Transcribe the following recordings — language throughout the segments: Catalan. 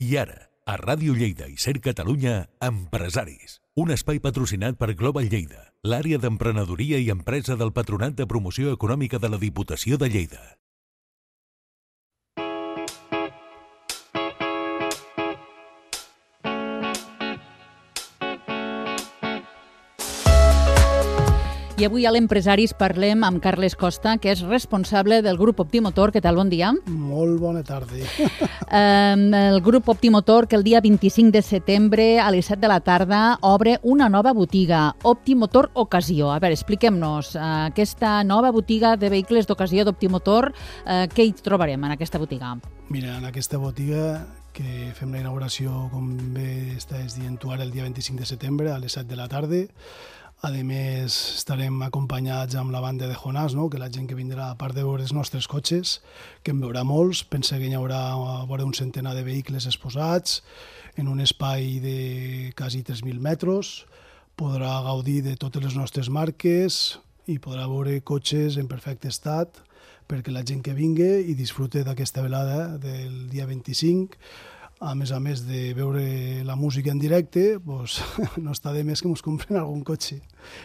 I ara, a Ràdio Lleida i Ser Catalunya, Empresaris. Un espai patrocinat per Global Lleida, l'àrea d'emprenedoria i empresa del Patronat de Promoció Econòmica de la Diputació de Lleida. I avui a l'Empresaris parlem amb Carles Costa, que és responsable del grup Optimotor. Què tal? Bon dia. Molt bona tarda. El grup Optimotor, que el dia 25 de setembre a les 7 de la tarda obre una nova botiga, Optimotor Ocasió. A veure, expliquem-nos aquesta nova botiga de vehicles d'ocasió d'Optimotor. Què hi trobarem en aquesta botiga? Mira, en aquesta botiga que fem la inauguració, com bé estàs dient tu ara, el dia 25 de setembre a les 7 de la tarda. A més, estarem acompanyats amb la banda de Jonàs, no? Que la gent que vindrà, a part de veure els nostres cotxes, que en veurà molts, pensa que hi haurà un centenar de vehicles exposats en un espai de quasi 3.000 metres, podrà gaudir de totes les nostres marques i podrà veure cotxes en perfecte estat perquè la gent que vingui i disfrute d'aquesta velada del dia 25. A més de veure la música en directe, doncs, no està de més que ens compren algun cotxe.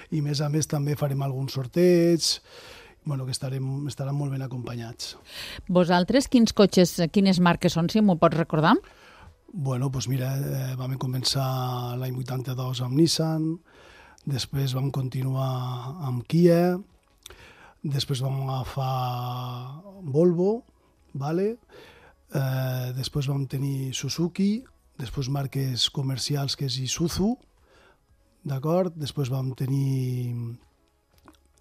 I més a més també farem alguns sorteig, que estaran molt ben acompanyats. Vosaltres, quins cotxes, quines marques són, si m'ho pots recordar? Doncs mira, vam començar l'any 82 amb Nissan, després vam continuar amb Kia, després vam agafar Volvo, vale? Després vam tenir Suzuki, després marques comercials que és Isuzu, d'acord? Després vam tenir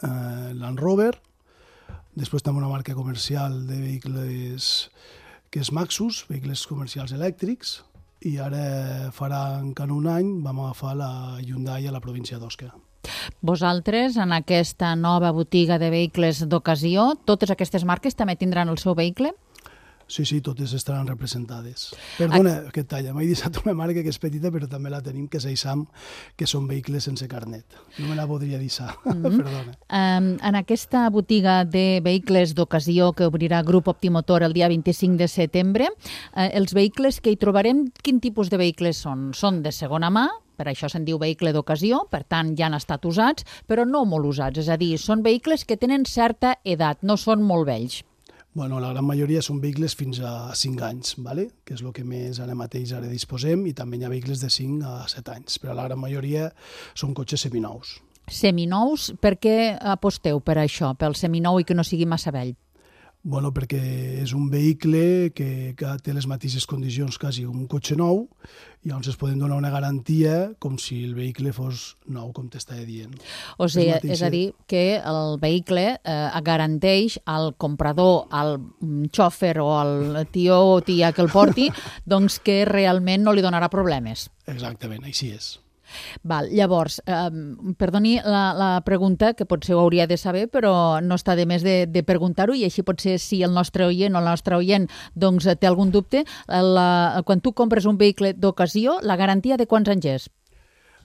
Land Rover, després també una marca comercial de vehicles que és Maxus, vehicles comercials elèctrics, i ara farà encara un any vam agafar la Hyundai a la província d'Osca. Vosaltres, en aquesta nova botiga de vehicles d'ocasió, totes aquestes marques també tindran el seu vehicle? Sí, totes estaran representades. Perdona, que talla, m'he deixat una marca que és petita, però també la tenim, que és Aixam, que són vehicles sense carnet. No me la podria deixar, perdona. En aquesta botiga de vehicles d'ocasió que obrirà Grup Optimotor el dia 25 de setembre, els vehicles que hi trobarem, quin tipus de vehicles són? Són de segona mà, per això se'n diu vehicle d'ocasió, per tant ja han estat usats, però no molt usats, és a dir, són vehicles que tenen certa edat, no són molt vells. La gran majoria són vehicles fins a 5 anys, ¿vale? Que és el que més ara mateix disposem, i també hi ha vehicles de 5 a 7 anys, però la gran majoria són cotxes seminous. Seminous, per què aposteu per això, pel seminou i que no sigui massa vell? Perquè és un vehicle que té les mateixes condicions quasi un cotxe nou, i llavors es poden donar una garantia com si el vehicle fos nou, com t'estava dient. O sigui, és a dir, que el vehicle garanteix al comprador, al xòfer o al tio o tia que el porti, doncs que realment no li donarà problemes. Exactament, així és. Llavors, perdoni la pregunta, que potser ho hauria de saber, però no està de més de preguntar-ho, i així potser si el nostre oient o la nostra oient doncs, té algun dubte. Quan tu compres un vehicle d'ocasió, la garantia de quants anys és?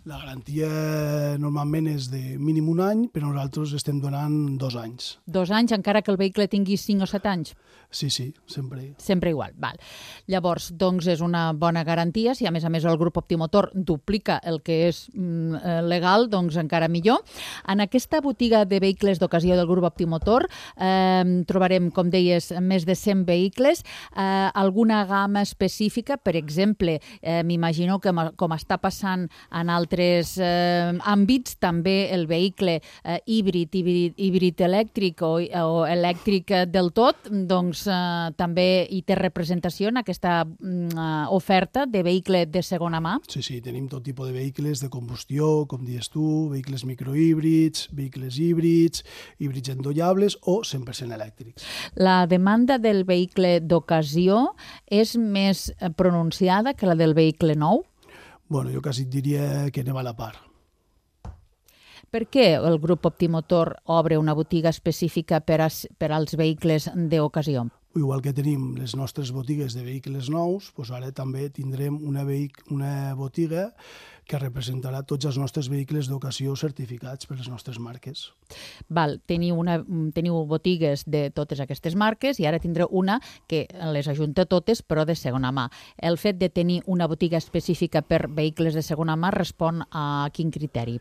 La garantia normalment és de mínim un any, però nosaltres estem donant 2 anys. 2 anys, encara que el vehicle tingui 5 o 7 anys? Sí, sempre. Sempre igual, val. Llavors, doncs és una bona garantia. Si a més el grup Optimotor duplica el que és legal, doncs encara millor. En aquesta botiga de vehicles d'ocasió del grup Optimotor trobarem, com deies, més de 100 vehicles. Alguna gamma específica, per exemple, m'imagino que com està passant en altres àmbits, també el vehicle híbrid elèctric o elèctric del tot, doncs també hi té representació en aquesta oferta de vehicle de segona mà? Sí, tenim tot tipus de vehicles de combustió, com dius tu, vehicles microhíbrids, vehicles híbrids, híbrids endollables o 100% elèctrics. La demanda del vehicle d'ocasió és més pronunciada que la del vehicle nou? Jo quasi et diria que anem a la part. Per què el grup Optimotor obre una botiga específica per als vehicles d'ocasió? Igual que tenim les nostres botigues de vehicles nous, doncs ara també tindrem una botiga que representarà tots els nostres vehicles d'ocasió certificats per les nostres marques. Val, teniu botigues de totes aquestes marques i ara tindreu una que les ajunta totes però de segona mà. El fet de tenir una botiga específica per vehicles de segona mà respon a quin criteri?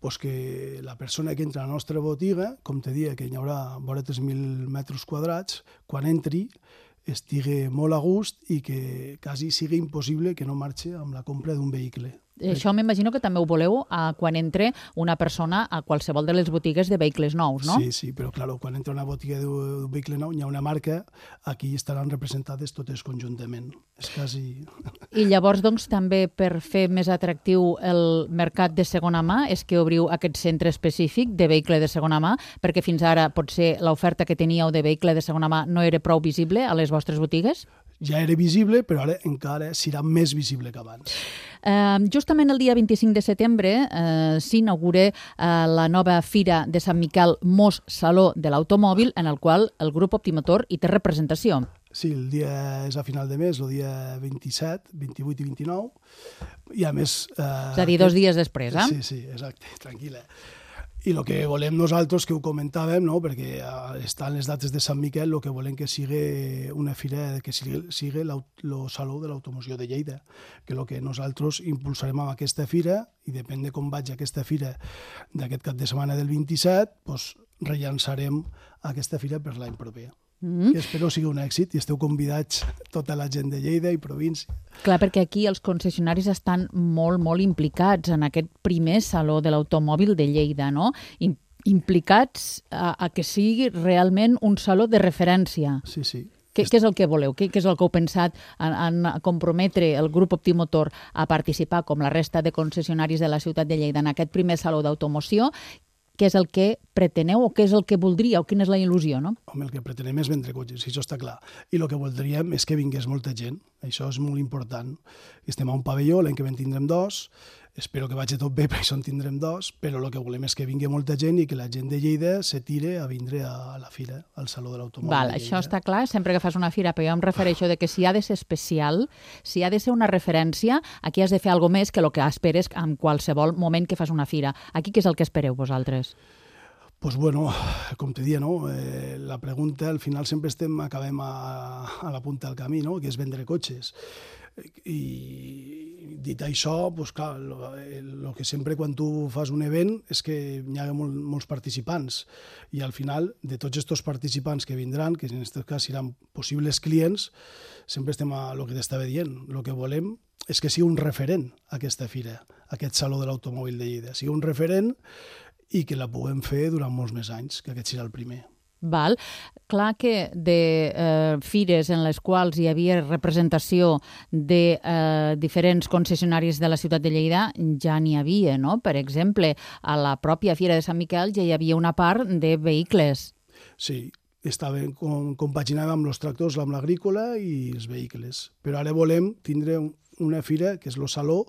Pues que la persona que entra a la nostra botiga, com te dia, que hi haurà vora 3.000 metres quadrats, quan entri estigui molt a gust i que quasi sigui impossible que no marxi amb la compra d'un vehicle. Això m'imagino que també ho voleu quan entre una persona a qualsevol de les botigues de vehicles nous, no? Sí, però clar, quan entra una botiga d'un vehicle nou, hi ha una marca, aquí estaran representades totes conjuntament. És quasi... I llavors, doncs, també per fer més atractiu el mercat de segona mà és que obriu aquest centre específic de vehicle de segona mà, perquè fins ara potser l'oferta que teníeu de vehicle de segona mà no era prou visible a les vostres botigues? Ja era visible, però ara encara serà més visible que abans. Justament el dia 25 de setembre s'inaugura la nova Fira de Sant Miquel Mos Saló de l'Automòbil, en el qual el grup Optimotor hi té representació. Sí, el dia és a final de mes, el dia 27, 28 i 29, i a més... És a dir, 2 dies després, eh? Sí, exacte, tranquil·la. I el que volem nosaltres, que ho comentàvem, no? Perquè estan les dates de Sant Miquel, el que volem que sigui una fira, que sigui el Saló de l'Automoció de Lleida, que el que nosaltres impulsarem amb aquesta fira, i depèn de com vagi aquesta fira d'aquest cap de setmana del 27, doncs rellançarem aquesta fira per l'any proper. Que espero sigui un èxit i esteu convidats tota la gent de Lleida i província. Clar, perquè aquí els concessionaris estan molt implicats en aquest primer Saló de l'Automòbil de Lleida, no? Implicats a que sigui realment un saló de referència. Sí. Què és el que voleu? Què és el que heu pensat en comprometre el grup Optimotor a participar, com la resta de concessionaris de la ciutat de Lleida, en aquest primer Saló d'Automoció? Què és el que preteneu o què és el que voldríeu? Quina és la il·lusió, no? Home, el que pretenem és vendre cotxes, això està clar. I el que voldríem és que vingués molta gent. Això és molt important. Estem a un pavelló, l'any que ven tindrem 2. Espero que vagi tot bé, per això en tindrem 2, però el que volem és que vingui molta gent i que la gent de Lleida se tire a vindre a la fira, al Saló de l'Automòbil de Lleida. Això està clar, sempre que fas una fira, però jo em refereixo de que si ha de ser especial, si ha de ser una referència, aquí has de fer alguna més que el que esperes en qualsevol moment que fas una fira. Aquí què és el que espereu vosaltres? Pues bueno, com te dia, no? La pregunta, al final sempre acabem a la punta del camí, no? Que és vendre cotxes. I dit això, pues clar, el que sempre quan tu fas un event és que hi ha molts participants i al final de tots aquests participants que vindran, que en aquest cas seran possibles clients, sempre estem a el que t'estava dient. El que volem és que sigui un referent aquesta fira, aquest Saló de l'Automòbil de Lleida, sigui un referent i que la puguem fer durant molts més anys, que aquest serà el primer. Val. Clar que de fires en les quals hi havia representació de diferents concessionaris de la ciutat de Lleida ja n'hi havia, no? Per exemple, a la pròpia Fira de Sant Miquel ja hi havia una part de vehicles. Sí, compaginàvem amb els tractors, amb l'agrícola i els vehicles. Però ara volem tindre una fira que és el Saló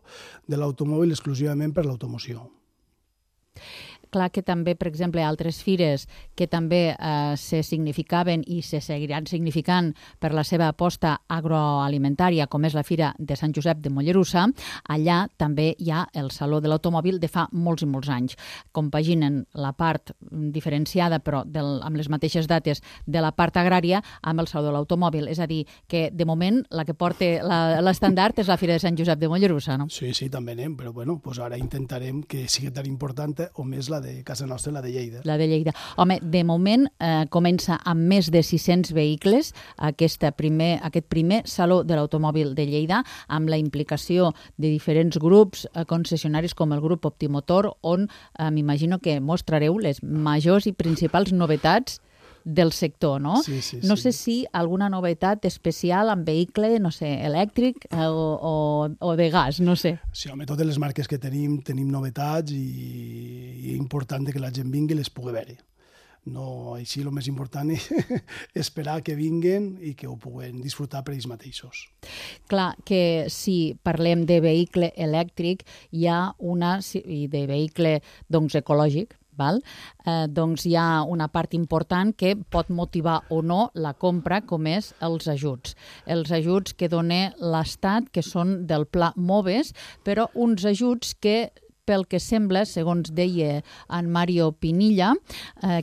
de l'Automòbil exclusivament per l'automoció. Clar que també, per exemple, altres fires que també se significaven i se seguiran significant per la seva aposta agroalimentària, com és la Fira de Sant Josep de Mollerussa, allà també hi ha el Saló de l'Automòbil de fa molts i molts anys. Compaginen la part diferenciada, però amb les mateixes dates, de la part agrària amb el Saló de l'Automòbil. És a dir, que de moment la que porta l'estandard és la Fira de Sant Josep de Mollerussa, no? Sí, també anem, però bueno, ara intentarem que sigui tan important o més la de casa nostra, la de Lleida. La de Lleida. Home, de moment comença amb més de 600 vehicles aquest primer Saló de l'Automòbil de Lleida, amb la implicació de diferents grups concessionaris com el grup Optimotor, on m'imagino que mostrareu les majors i principals novetats del sector, no? Sí. No sé si alguna novetat especial amb vehicle, no sé, elèctric o de gas, no sé. Sí, home, totes les marques que tenim novetats i és important que la gent vingui i les pugui veure. No, així el més important és esperar que vinguen i que ho puguen disfrutar per ells mateixos. Clar, que si parlem de vehicle elèctric, hi ha i de vehicle doncs, ecològic, val? Doncs hi ha una part important que pot motivar o no la compra, com és els ajuts. Els ajuts que dona l'Estat, que són del Pla MOVES, però uns ajuts que, pel que sembla, segons deia en Mario Pinilla,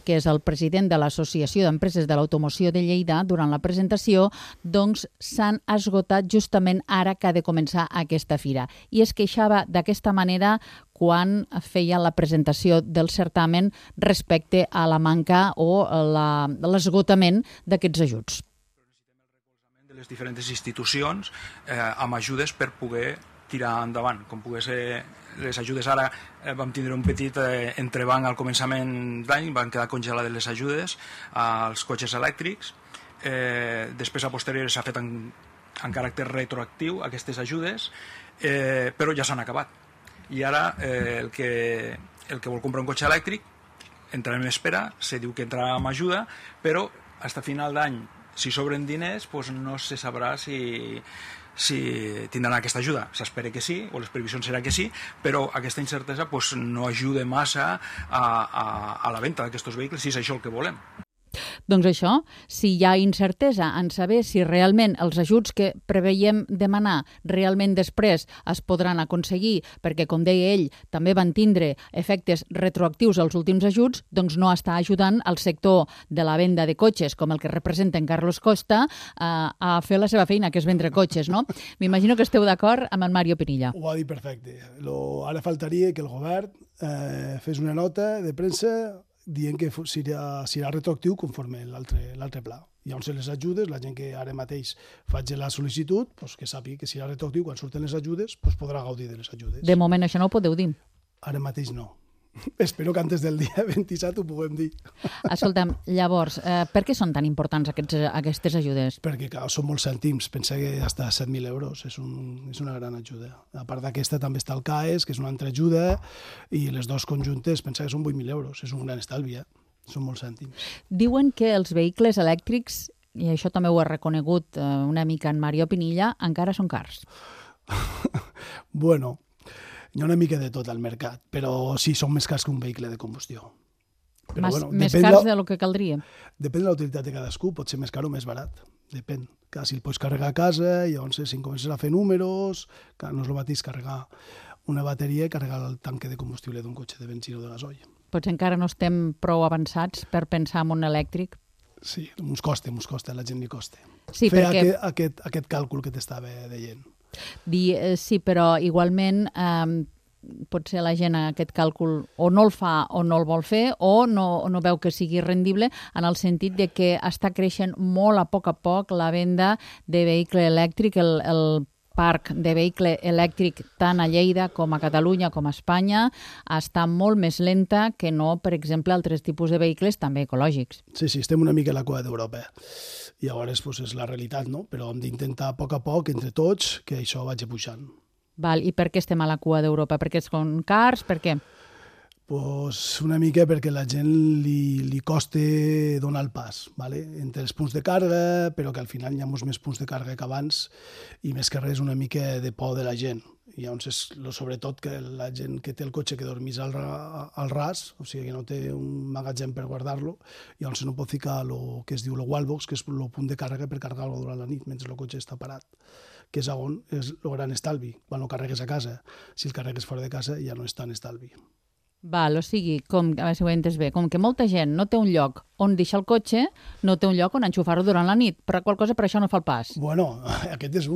que és el president de l'Associació d'Empreses de l'Automoció de Lleida, durant la presentació, doncs s'han esgotat justament ara que ha de començar aquesta fira. I es queixava d'aquesta manera quan feia la presentació del certamen respecte a la manca o l'esgotament d'aquests ajuts. De les diferents institucions amb ajudes per poder tirar endavant, com pogués ser les ajudes. Ara vam tindre un petit entrebanc al començament d'any, van quedar congelades les ajudes als cotxes elèctrics, després a posteriori s'ha fet en caràcter retroactiu aquestes ajudes, però ja s'han acabat. I ara el que vol comprar un cotxe elèctric entrarà en espera, se diu que entrarà amb ajuda, però fins a final d'any, si sobren diners, no se sabrà si tindran aquesta ajuda. S'espera que sí, o les previsions serà que sí, però aquesta incertesa no ajuda massa a la venda d'aquests vehicles, si és això el que volem. Doncs això, si hi ha incertesa en saber si realment els ajuts que preveiem demanar realment després es podran aconseguir, perquè, com deia ell, també van tindre efectes retroactius als últims ajuts, doncs no està ajudant al sector de la venda de cotxes, com el que representa en Carlos Costa, a fer la seva feina, que és vendre cotxes, no? M'imagino que esteu d'acord amb en Mario Pinilla. Ho ha dit perfecte. Ara faltaria que el govern fes una nota de premsa dient que serà retroactiu conforme l'altre pla. Llavors les ajudes, la gent que ara mateix faci la sol·licitud, que sàpiga que serà retroactiu, quan surten les ajudes, podrà gaudir de les ajudes. De moment això no ho podeu dir. Ara mateix no. Espero que antes del dia 27 ho puguem dir. Escolta'm, llavors, per què són tan importants aquestes ajudes? Perquè són molts cèntims. Pensa que fins a 7.000 euros és una gran ajuda. A part d'aquesta també està el CAES, que és una altra ajuda, i les dues conjuntes, pensa que són 8.000 euros. És un gran estalvi, Són molts cèntims. Diuen que els vehicles elèctrics, i això també ho ha reconegut una mica en Mario Pinilla, encara són cars. Bueno, hi ha una mica de tot al mercat, però sí, són més cars que un vehicle de combustió. Però, més cars del que caldria? Depèn de la utilitat de cadascú, pot ser més car o més barat. Depèn. Si el pots carregar a casa, llavors si comences a fer números, no és el mateix carregar una bateria i carregar el tanque de combustible d'un cotxe de benzina o de gasoil. Potser encara no estem prou avançats per pensar en un elèctric? Sí, ens costa, a la gent li costa. Sí, fer aquest càlcul que t'estava dient. Sí, però igualment potser la gent aquest càlcul o no el fa o no el vol fer o no veu que sigui rendible, en el sentit de que està creixent molt a poc la venda de vehicle elèctric, el parc de vehicle elèctric tant a Lleida com a Catalunya com a Espanya està molt més lenta que no, per exemple, altres tipus de vehicles també ecològics. Sí, estem una mica a la cua d'Europa. I llavors és la realitat, no? Però hem d'intentar a poc, entre tots, que això vagi pujant. Val, i per què estem a la cua d'Europa? Perquè són cars? Per què? Una mica perquè a la gent li costa donar el pas, entre els punts de càrrega, però que al final hi ha molts més punts de càrrega que abans i més que res una mica de por de la gent. I llavors sobretot que la gent que té el cotxe que dormís al ras, o sigui que no té un magatzem per guardar-lo, llavors no pot ficar el que es diu el wallbox, que és el punt de càrrega per carregar-lo durant la nit mentre el cotxe està parat, que és on és el gran estalvi, quan el carregues a casa. Si el carregues fora de casa ja no és tan estalvi. Val, o sigui, a veure si ho he entès bé, com que molta gent no té un lloc on deixar el cotxe, no té un lloc on enxufar-ho durant la nit, però qual cosa per això no fa el pas. Bueno, aquest és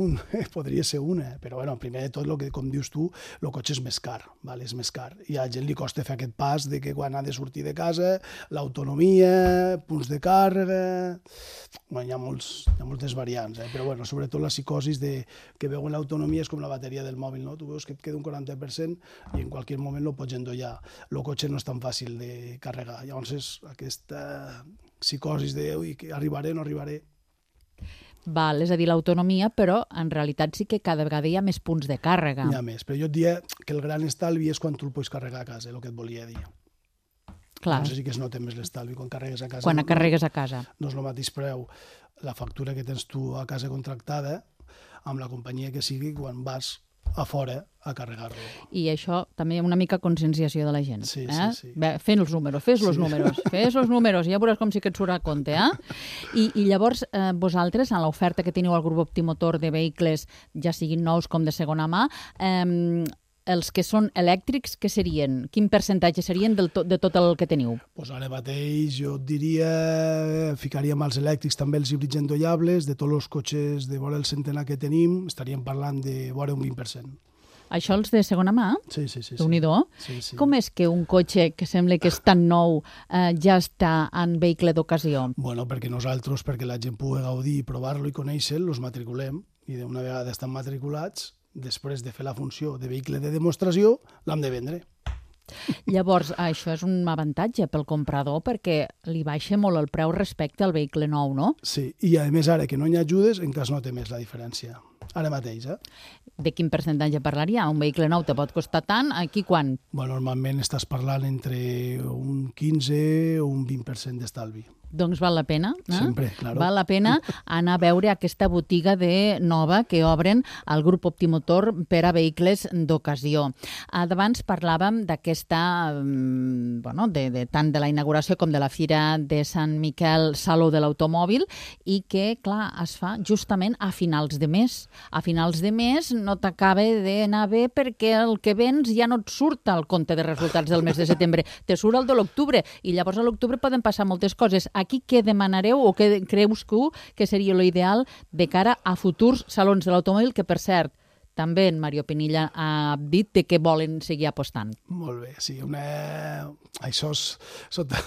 podria ser una, però primer de tot, com dius tu, el cotxe és més car, és més car. I a la gent li costa fer aquest pas de que quan ha de sortir de casa, l'autonomia, punts de càrrega... Hi ha moltes variants, però sobretot la psicosis que veuen l'autonomia és com la bateria del mòbil, no? Tu veus que et queda un 40% i en qualsevol moment lo pots endollar. El cotxe no és tan fàcil de carregar. Llavors és aquesta psicosis de que arribaré o no arribaré. Val, és a dir, l'autonomia, però en realitat sí que cada vegada hi ha més punts de càrrega. Hi ha més, però jo et diria que el gran estalvi és quan tu el pots carregar a casa, el que et volia dir. Clar. No sé si que es nota més l'estalvi quan carregues a casa. Quan carregues a casa. No és el mateix preu la factura que tens tu a casa contractada amb la companyia que sigui quan vas a fora a carregar-lo. I això també una mica conscienciació de la gent. Sí. Bé, fent els números, fes els números, ja veuràs com sí que et surt a compte. I llavors, vosaltres, en l'oferta que teniu al grup Optimotor de vehicles, ja siguin nous com de segona mà, els que són elèctrics, què serien? Quin percentatge serien de tot el que teniu? Pues ara mateix jo et diria, ficaríem als elèctrics també els híbrids endollables, de tots els cotxes de vora el centenar que tenim, estaríem parlant de vora un 20%. Això els de segona mà? Sí. Déu-n'hi-do. Sí. Com és que un cotxe que sembla que és tan nou ja està en vehicle d'ocasió? Bueno, perquè nosaltres, perquè la gent pugui gaudir, provar-lo i conèixer-lo, els matriculem i d'una vegada estan matriculats, després de fer la funció de vehicle de demostració, l'hem de vendre. Llavors, això és un avantatge pel comprador perquè li baixa molt el preu respecte al vehicle nou, no? Sí, i a més ara que no hi ha ajudes, encara es nota més la diferència. Ara mateix, De quin percentatge parlaria? Un vehicle nou te pot costar tant, aquí quan? Bueno, normalment estàs parlant entre un 15 o un 20% d'estalvi. Doncs val la pena, Sempre, claro. Val la pena anar a veure aquesta botiga nova que obren al grup Optimotor per a vehicles d'ocasió. Abans parlàvem d'aquesta, tant de la inauguració com de la Fira de Sant Miquel, Saló de l'Automòbil, i que, clar, es fa justament a finals de mes. A finals de mes no t'acaba d'anar bé perquè el que vens ja no et surt al compte de resultats del mes de setembre, te surt el de l'octubre, i llavors a l'octubre poden passar moltes coses. Aquí què demanareu o què creus que seria l'ideal de cara a futurs salons de l'automòbil, que per cert, també en Mario Pinilla ha dit que volen seguir apostant. Molt bé, sí. Això és sota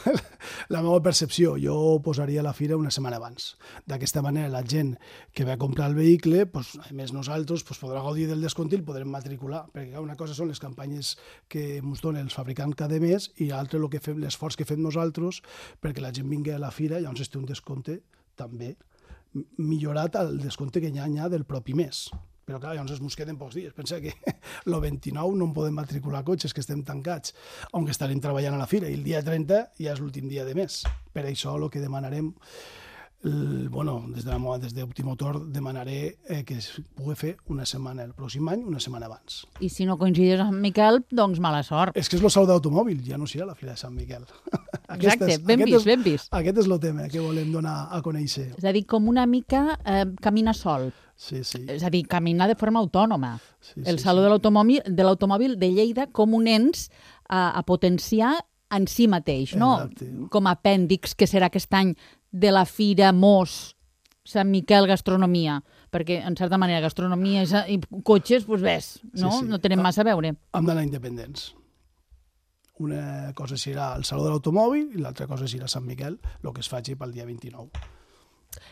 la meva percepció. Jo posaria la fira una setmana abans. D'aquesta manera, la gent que va comprar el vehicle, a més nosaltres, podrà gaudir del descompte i el podrem matricular. Perquè una cosa són les campanyes que ens donen els fabricants cada mes i l'altre l'esforç que fem nosaltres perquè la gent vingui a la fira i llavors es té un descompte també millorat al descompte que hi ha del propi mes. Però clar, llavors ens queden pocs dies. Pensa que el 29 no en podem matricular cotxes, que estem tancats, on estarem treballant a la fira, i el dia 30 ja és l'últim dia de mes. Per això el que demanarem, des d'Optimotor demanaré que es pugui fer una setmana el pròxim any, una setmana abans. I si no coincideix amb Miquel, doncs mala sort. És que és el Saló d'Automòbil, ja no serà la Fira de Sant Miquel. Exacte, ben vist. Aquest és el tema que volem donar a conèixer. És a dir, com una mica camina sol. Sí. És a dir, caminar de forma autònoma. El Saló de l'Automòbil de Lleida com un ens a potenciar en si mateix, no? Exacte. Com a apèndix que serà aquest any de la Fira Mos, Sant Miquel Gastronomia, perquè en certa manera gastronomia i cotxes, doncs ves, no? Sí. No tenen massa a veure. Hem d'anar independents. Una cosa serà el Saló de l'Automòbil i l'altra cosa serà Sant Miquel, el que es faci pel dia 29.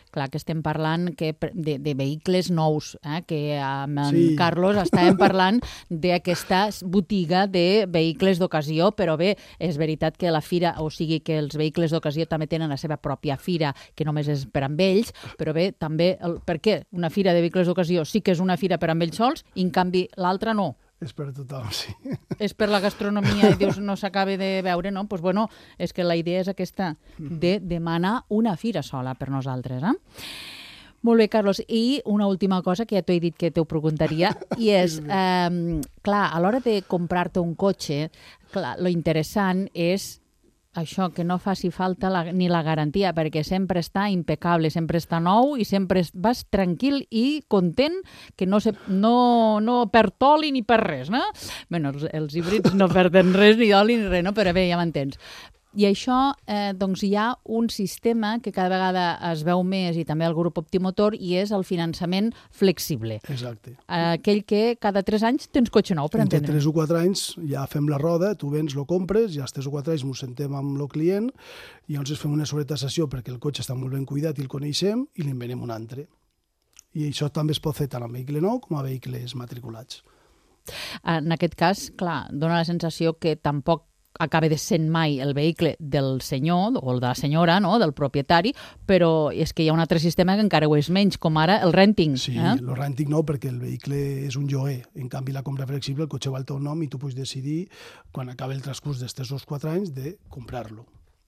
Clar que estem parlant de vehicles nous, que amb en Carlos estàvem parlant d'aquesta botiga de vehicles d'ocasió, però bé, és veritat que la fira, o sigui que els vehicles d'ocasió també tenen la seva pròpia fira, que només és per amb ells, però bé, també, per què una fira de vehicles d'ocasió sí que és una fira per amb ells sols i en canvi l'altra no? És per tothom, sí. És per la gastronomia i dius no s'acaba de veure, no? Doncs bueno, és que la idea és aquesta, de demanar una fira sola per nosaltres, Molt bé, Carlos. I una última cosa que ja t'ho he dit que t'ho preguntaria, i és, clar, a l'hora de comprar-te un cotxe, clar, lo interessant és això, que no faci falta ni la garantia, perquè sempre està impecable, sempre està nou i sempre vas tranquil i content, que no perd oli ni per res, no? Bé, els híbrids no perden res, ni oli ni res, no? Però bé, ja m'entens. I això, doncs hi ha un sistema que cada vegada es veu més, i també el grup Optimotor, i és el finançament flexible. Exacte. Aquell que cada 3 anys tens cotxe nou, per entendre. Entre 3 o 4 anys ja fem la roda, tu vens, lo compres, ja als 3 o 4 anys ens sentem amb el client i llavors fem una sobretassació perquè el cotxe està molt ben cuidat i el coneixem i li'n venem un altre. I això també es pot fer tant amb vehicle nou com a vehicles matriculats. En aquest cas, clar, dona la sensació que tampoc acaba de sent mai el vehicle del senyor o de la senyora, no?, del propietari, però és que hi ha un altre sistema que encara ho és menys, com ara el renting. Sí, el renting no, perquè el vehicle és un lloguer. En canvi, la compra flexible, el cotxe va al teu nom i tu pots decidir, quan acabi el transcurs dels 3 o 4 anys, de comprar-lo.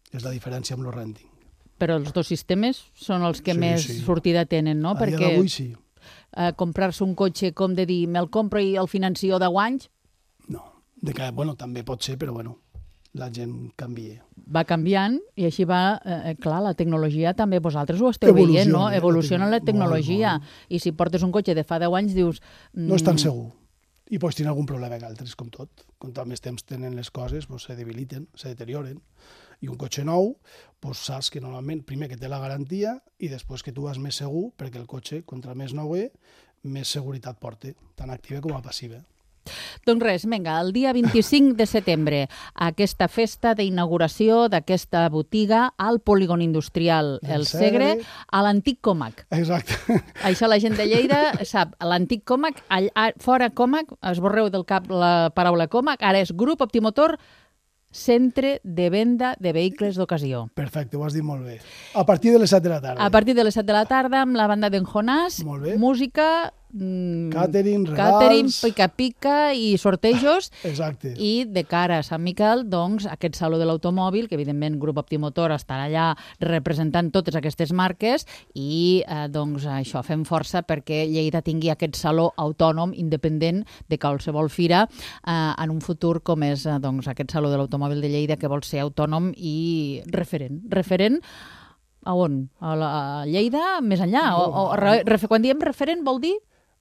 És la diferència amb el renting. Però els dos sistemes són els que més sortida tenen, no? A dia d'avui sí. comprar-se un cotxe, com de dir, me'l compro i el financio 10 anys? No, també pot ser, però la gent canvia. Va canviant i així va, clar, la tecnologia també vosaltres ho esteu veient, no? Evoluciona la tecnologia. Molt. I si portes un cotxe de fa 10 anys dius... No és tan segur. I pots tenir algun problema que altres, com tot. Com al més temps tenen les coses, se debiliten, se deterioren. I un cotxe nou, saps que normalment, primer que té la garantia i després que tu vas més segur, perquè el cotxe, contra més nou més seguretat porta, tant activa com a passiva. Doncs res, vinga, el dia 25 de setembre, aquesta festa d'inauguració d'aquesta botiga al polígon industrial El Segre, a l'antic Comac. Exacte. Això la gent de Lleida sap, l'antic Comac, fora Comac, esborreu del cap la paraula Comac, ara és Grup Optimotor, centre de venda de vehicles d'ocasió. Perfecte, ho has dit molt bé. A partir de les 7 de la tarda. A partir de les 7 de la tarda, amb la banda d'en Jonàs, música... Catering, regals... pica-pica i sortejos. Exacte. I de cara a Sant Miquel, doncs, aquest saló de l'automòbil, que evidentment Grup Optimotor estarà allà representant totes aquestes marques i, doncs, això, fem força perquè Lleida tingui aquest saló autònom, independent de qualsevol fira, en un futur com és, doncs, aquest saló de l'automòbil de Lleida, que vol ser autònom i referent. Referent a on? A Lleida, més enllà? Quan diem referent vol dir?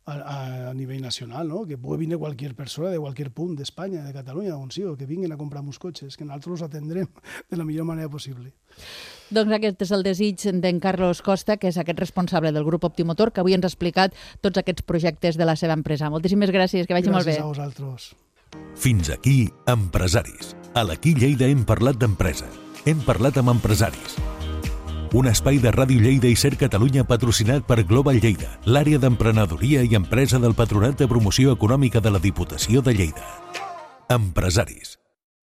A nivell nacional, no? Que pugui venir qualsevol persona de qualsevol punt d'Espanya, de Catalunya, on sigui, que vinguin a comprar uns cotxes, que nosaltres els atendrem de la millor manera possible. Doncs aquest és el desig d'en Carlos Costa, que és aquest responsable del Grup Optimotor, que avui ens ha explicat tots aquests projectes de la seva empresa. Moltíssimes gràcies, que vagi molt bé. Gràcies a vosaltres. Fins aquí, Empresaris. A l'Aquí Lleida hem parlat d'empresa. Hem parlat amb empresaris. Un espai de Ràdio Lleida i Ser Catalunya patrocinat per Global Lleida, l'àrea d'emprenedoria i empresa del Patronat de Promoció Econòmica de la Diputació de Lleida. Empresaris.